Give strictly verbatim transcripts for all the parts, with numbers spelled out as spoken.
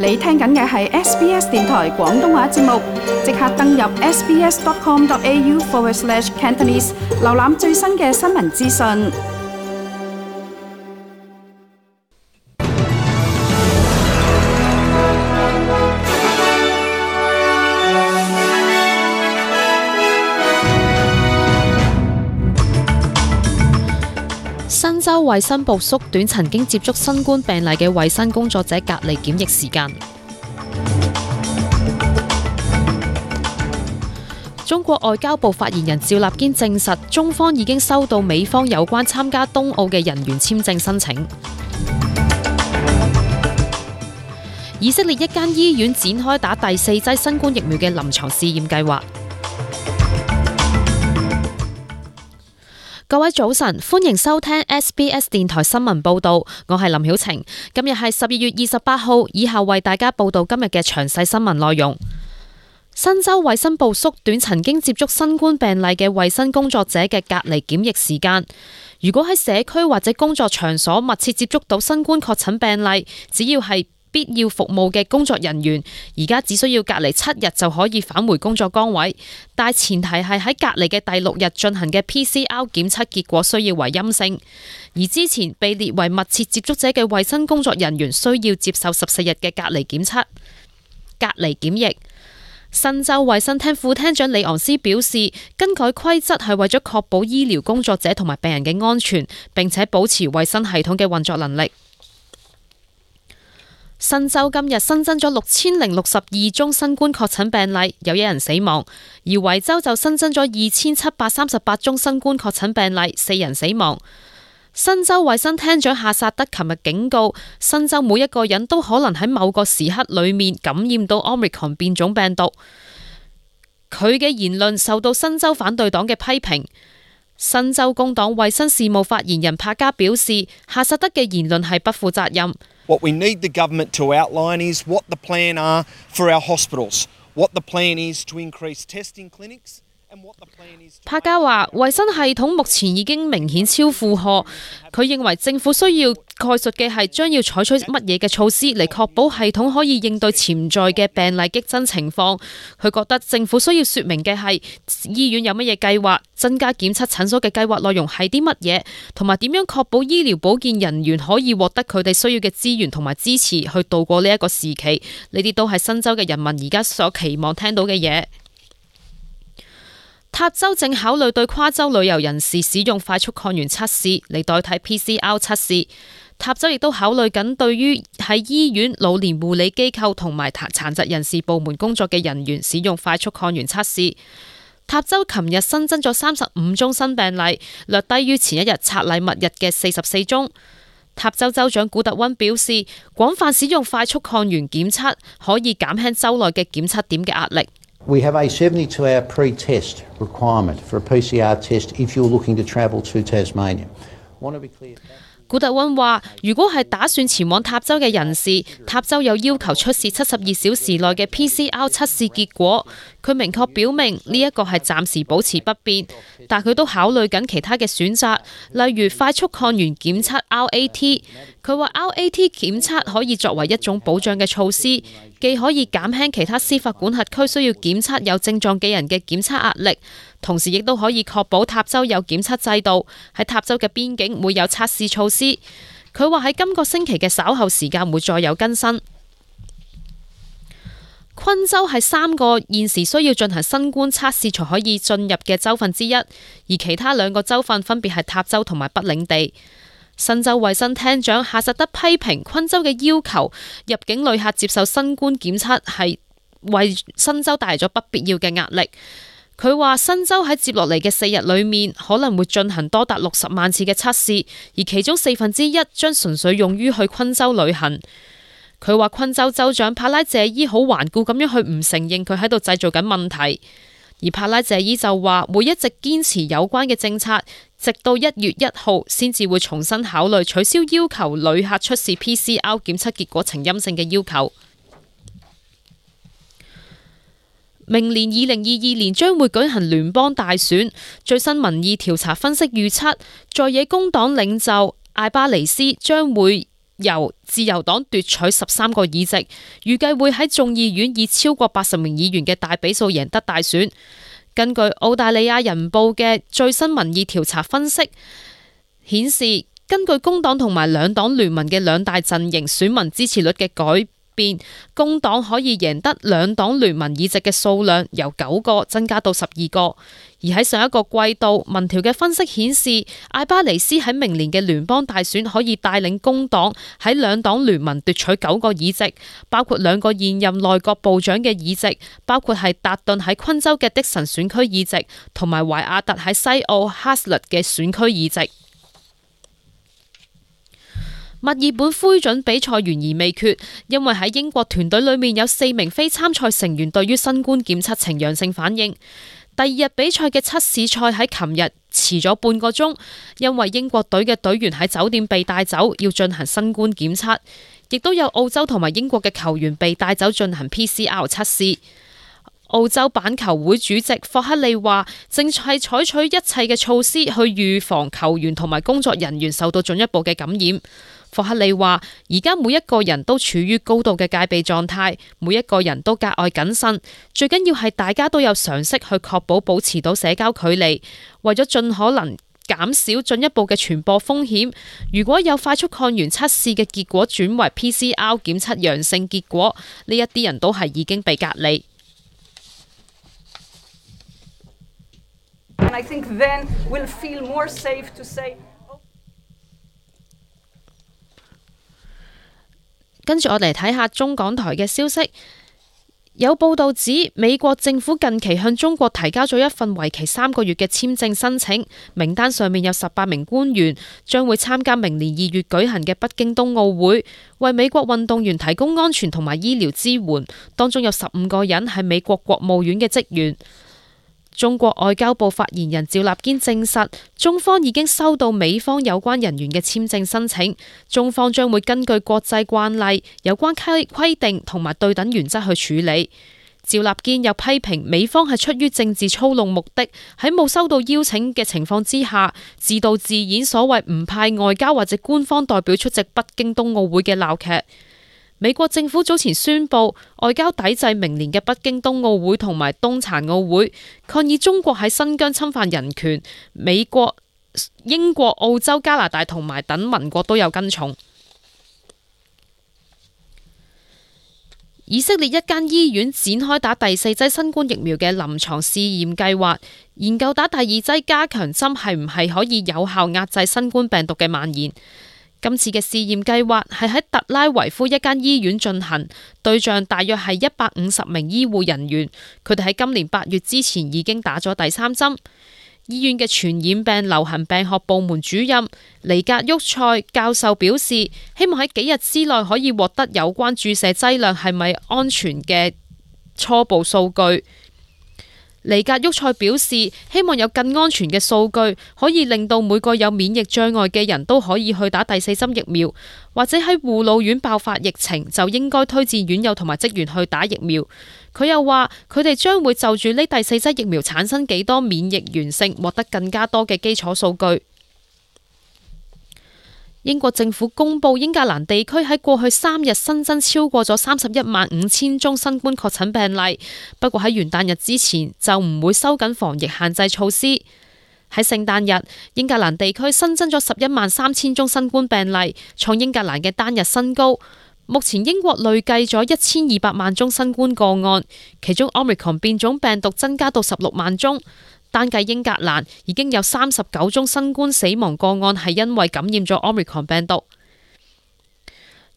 你聽緊嘅係 S B S 電台廣東話節目，即刻登入 sbs.com.au forward slash Cantonese， 瀏覽最新嘅新聞資訊。新州衛生部縮短曾經接觸新冠病例嘅衛生工作者隔離檢疫時間。中國外交部發言人趙立堅證實，中方已經收到美方有關參加冬奧嘅人員簽證申請。以色列一間醫院展開打第四劑新冠疫苗嘅臨床試驗計劃。各位早晨，歡迎收聽 S B S 電台新聞報道，我係林曉晴。今日係十二月二十八號，以下為大家報道今日嘅詳細新聞內容。新州衛生部縮短曾經接觸新冠病例嘅衛生工作者嘅隔離檢疫時間。如果喺社區或者工作場所密切接觸到新冠確診病例，只要係必要服務嘅工作人員，而家只需要隔離七日就可以返回工作崗位，但前提係喺隔離嘅第六日進行嘅 P C R 檢測結果需要為陰性，而之前被列為密切接觸者嘅衛生工作人員需要接受十四日嘅隔離檢測。隔離檢疫，新州衛生廳副廳長李昂斯表示，更改規則係為咗確保醫療工作者同埋病人嘅安全，並且保持衛生系統嘅運作能力。新州今日新增咗六千零六十二宗新冠確診病例，有一人死亡；而維州就新增咗二千七百三十八宗新冠確診病例，四人死亡。新州衛生廳長夏薩德琴日警告，新州每一個人都可能喺某個時刻裏面感染到 Omicron 變種病毒。佢嘅言論受到新州反對黨嘅批評。新州工黨衛生事務發言人帕加表示，夏薩德嘅言論係不負責任。What we need the government to outline is what the plan are for our hospitals, what the plan is to increase testing clinics, and what the plan is to... 帕加話，衛生系統目前已經明顯超負荷。佢認為政府需要概述嘅係將要採取乜嘢嘅措施嚟確保系統可以應對潛在嘅病例激增情況。佢覺得政府需要說明嘅係醫院有乜嘢計劃，增加檢測診所嘅計劃內容係啲乜嘢，同埋點樣確保醫療保健人員可以獲得佢哋需要嘅資源同埋支持去度過呢一個時期。呢啲都係新州嘅人民而家所期望聽到嘅嘢。塔州正考慮對跨州旅遊人士使用快速抗原測試嚟代替 P C R 測試。塔州亦都考慮緊對於喺醫院、老年護理機構同埋殘疾人士部門工作嘅人員使用快速抗原測試。塔州琴日新增咗三十五宗新病例，略低於前一日拆禮物日嘅四十四宗。塔州州長古特溫表示，廣泛使用快速抗原檢測可以減輕州內嘅檢測點嘅壓力。We have a seventy-two hour pre-test requirement for a P C R test if you're looking to travel to Tasmania. Want to be clear. 古特溫話，如果係打算前往塔州嘅人士，塔州有要求出示七十二小時內嘅 P C R 測試結果。佢明確表明呢一個係暫時保持不變，但佢都考慮緊其他嘅選擇，例如快速抗原檢測 R A T。佢話 R A T 檢測可以作為一種保障嘅措施，既可以減輕其他司法管轄區需要檢測有症狀嘅人嘅檢測壓力，同時亦都可以確保塔州有檢測制度，喺塔州嘅邊境會有測試措施。佢話喺今個星期嘅稍後時間會再有更新。昆州係三個現時需要進行新冠測試才可以進入嘅州份之一，而其他兩個州份分別係塔州同埋北領地。新州衛生廳長夏實德批評昆州嘅要求，入境旅客接受新冠檢測係為新州帶嚟咗不必要嘅壓力。佢話新州喺接落嚟嘅四日裏面可能會進行多達六十萬次嘅測試，而其中四分之一將純粹用於去昆州旅行。佢話昆州州長帕拉謝伊好頑固咁樣去唔承認佢喺度製造緊問題，而帕拉謝伊就話會一直堅持有關嘅政策，直到一月一號先至會重新考慮取消要求旅客出示 P C R 檢測結果呈陰性嘅要求。明年二零二二年將會舉行聯邦大選，最新民意調查分析預測，在野工黨領袖艾巴尼斯將會由自由黨奪取十三個議席，預計會喺眾議院以超過八十名議員嘅大比數贏得大選。根據澳大利亞人報嘅最新民意調查分析顯示，根據工黨同埋兩黨聯盟嘅兩大陣營選民支持率嘅改變，工黨可以贏得兩黨聯盟議席嘅數量由九個增加到十二個。而喺上一個季度，民調嘅分析顯示，艾巴尼斯喺明年嘅聯邦大選可以帶領工黨喺兩黨聯盟奪取九個議席，包括兩個現任內閣部長嘅議席，包括係達頓喺昆州嘅的神選區議席，同埋懷亞特喺西澳哈斯勒嘅選區議席。墨爾本灰隼比賽懸而未決，因為喺英國團隊裏面有四名非參賽成員對於新冠檢測呈陽性反應。第二日比賽嘅測試賽喺琴日遲咗半個鐘，因為英國隊嘅隊員喺酒店被帶走，要進行新冠檢測，亦都有澳洲同埋英國嘅球員被帶走進行 P C R 測試。澳洲板球會主席霍克利話，正係採取一切嘅措施去預防球員同埋工作人員受到進一步嘅感染。霍克利話，而家每一個人都處於高度嘅戒備狀態，每一個人都格外謹慎，最緊要係大家都有常識去確保保持到社交距離，為咗盡可能減少進一步嘅傳播風險。如果有快速抗原測試嘅結果轉為 P C R 檢測陽性結果，呢一啲人都係已經被隔離。And I think then we'll feel more safe to say. 跟住我嚟睇下中港台嘅消息，有報道指美國政府近期向中國提交咗一份為期三個月嘅簽證申請，名單上面有十八名官員，將會參加明年二月舉行嘅北京冬奧會，為美國運動員提供安全同埋醫療支援，當中有十五個人係美國國務院嘅職員。中國外交部發言人趙立堅證實，中方已經收到美方有關人員嘅簽證申請，中方將會根據國際慣例、有關規規定同埋對等原則去處理。趙立堅又批評美方係出於政治操弄目的，喺冇收到邀請嘅情況之下，自導自演所謂唔派外交或者官方代表出席北京冬奧會嘅鬧劇。美國政府早前宣布外交抵制明年嘅北京冬奧會同埋冬殘奧會，抗議中國喺新疆侵犯人權。美國、英國、澳洲、加拿大同埋等盟國都有跟從。以色列一間醫院展開打第四劑新冠疫苗嘅臨床試驗計劃，研究打第二劑加強針係唔係可以有效壓制新冠病毒嘅蔓延。今次嘅試驗計劃係喺特拉維夫一間醫院進行，對象大約係一百五十名醫護人員，佢哋喺今年八月之前已經打咗第三針。醫院嘅傳染病流行病學部門主任尼格沃塞教授表示，希望喺幾日之內可以獲得有關注射劑量係咪安全嘅初步數據。尼格沃塞表示，希望有更安全嘅數據，可以令到每個有免疫障礙嘅人都可以去打第四針疫苗，或者喺護老院爆發疫情就應該推薦院友同埋職員去打疫苗。佢又話，佢哋將會就住呢第四劑疫苗產生幾多免疫原性，獲得更加多嘅基礎數據。英國政府公布英格蘭地區喺過去三日新增超過咗三十一萬五千宗新冠確診病例，不過喺元旦日之前就唔會收緊防疫限制措施。喺聖誕日，英格蘭地區新增咗十一萬三千宗新冠病例，創英格蘭嘅單日新高。目前英國累計咗一千二百萬宗新冠個案，其中 Omicron 變種病毒增加到十六萬宗。單計英格蘭已經有三十九宗新冠死亡個案係因為感染咗 Omicron 病毒。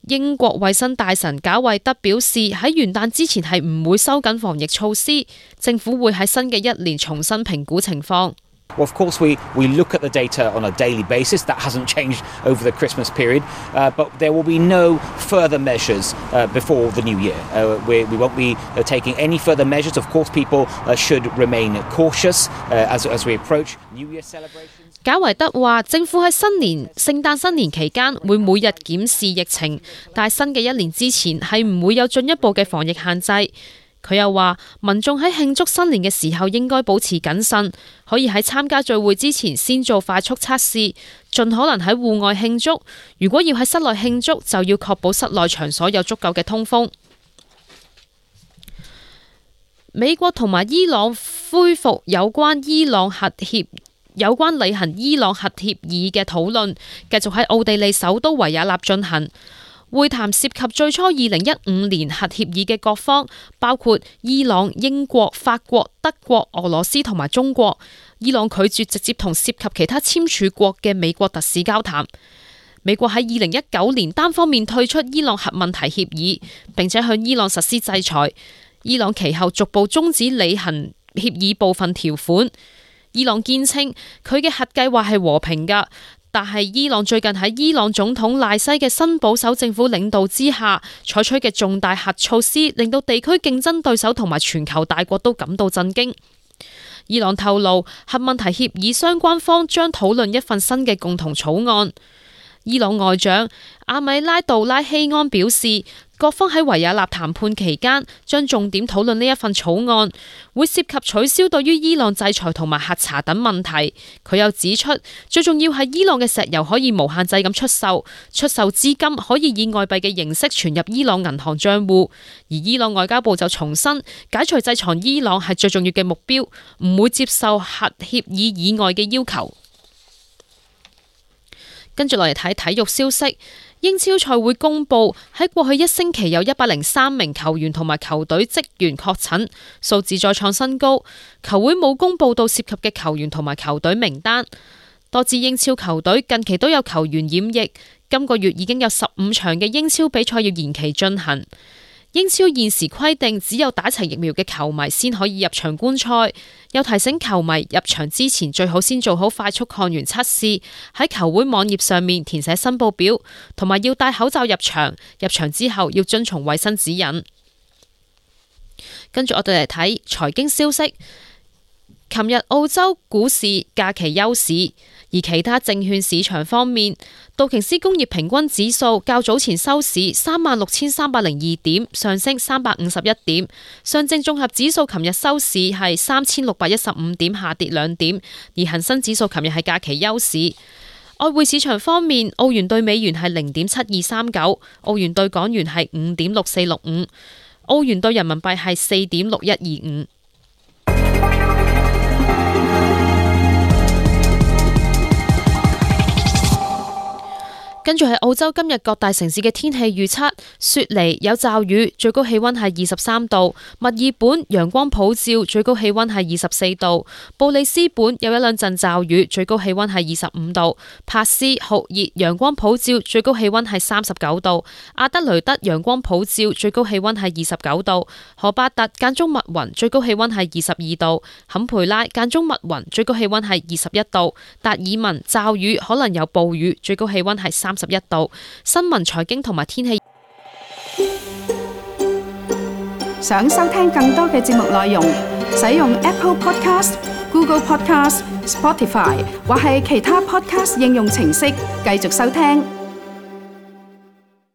英國衛生大臣賈維德表示，喺元旦之前係唔會收緊防疫措施，政府會喺新嘅一年重新評估情況。Well, of course, we, we look at the data on a daily basis. That hasn't changed over the Christmas period. Uh, but there will be no further measures uh, before the new year. Uh, we, we won't be uh, taking any further measures. Of course, people uh, should remain cautious uh, as, as we approach New Year celebrations. 賈維德話，政府喺新年、聖誕新年期間會每日檢視疫情，但係新嘅一年之前係唔會有進一步嘅防疫限制。佢又話，民眾喺慶祝新年嘅時候應該保持謹慎，可以喺參加聚會之前先做快速測試，盡可能喺戶外慶祝。如果要喺室內慶祝，就要確保室內場所有足夠嘅通風。美國同埋伊朗恢復有關伊朗核協有關履行伊朗核協議嘅討論，繼續喺奧地利首都維也納進行。會談涉及最初二零一五年核協議嘅各方，包括伊朗、英國、法國、德國、俄羅斯同埋中國。伊朗拒絕直接同涉及其他簽署國嘅美國特使交談。美國喺二零一九年單方面退出伊朗核問題協議，並且向伊朗實施制裁。伊朗其後逐步終止履行協議部分條款。伊朗堅稱佢嘅核計劃係和平㗎，但係伊朗最近喺伊朗總統賴西嘅新保守政府領導之下採取嘅重大核措施，令到地區競爭對手同埋全球大國都感到震驚。伊朗透露，核問題協議相關方將討論一份新嘅共同草案。伊朗外長阿米拉杜拉希安表示，各方喺維也納談判期間將重點討論呢一份草案，會涉及取消對於伊朗制裁同埋核查等問題。佢又指出，最重要係伊朗嘅石油可以無限制咁出售，出售資金可以以外幣嘅形式存入伊朗銀行賬戶。而伊朗外交部就重申，解除制裁伊朗係最重要嘅目標，唔會接受核協議以外嘅要求。跟住落嚟睇體育消息，英超賽會公布喺過去一星期有一百零三名球員同埋球隊職員確診，數字再創新高。球會冇公布到涉及嘅球員同埋球隊名單。多支英超球隊近期都有球員染疫，今個月已經有十五場嘅英超比賽要延期進行。英超現時規定只有打齊疫苗嘅球迷先可以入場觀賽，又提醒球迷入場之前最好先做好快速抗原測試，喺球會網頁上面填寫申報表，同埋要戴口罩入場。入場之後要遵從衛生指引。跟住我哋嚟睇財經消息。琴日澳洲股市假期休市，而其他證券市場方面，道瓊斯工業平均指數較早前收市三萬六千三百零二點，上升三百五十一點。上證綜合指數琴日收市係三千六百一十五點，下跌兩點。而恒生指數琴日係假期休市。外匯市場方面，澳元對美元係零點七二三九，澳元對港元係五點六四六五，澳元對人民幣係四點六一二五。跟住係澳洲今日各大城市嘅天氣預測：雪梨有驟雨，最高氣溫係二十三度；墨爾本陽光普照，最高氣溫係二十四度；布里斯本有一兩陣驟雨，最高氣溫係二十五度；珀斯酷熱，陽光普照，最高氣溫係三十九度；阿德雷德陽光普照，最高氣溫係二十九度；荷巴特間中密雲，最高氣溫係二十二度；坎培拉間中密雲，最高氣溫係二十一度；達爾文驟雨可能有暴雨，最高氣溫係三十一度。新聞、財經同埋天氣。想收聽更多嘅節目內容，使用 Apple Podcast、Google Podcast、Spotify 或係其他 Podcast 應用程式繼續收聽。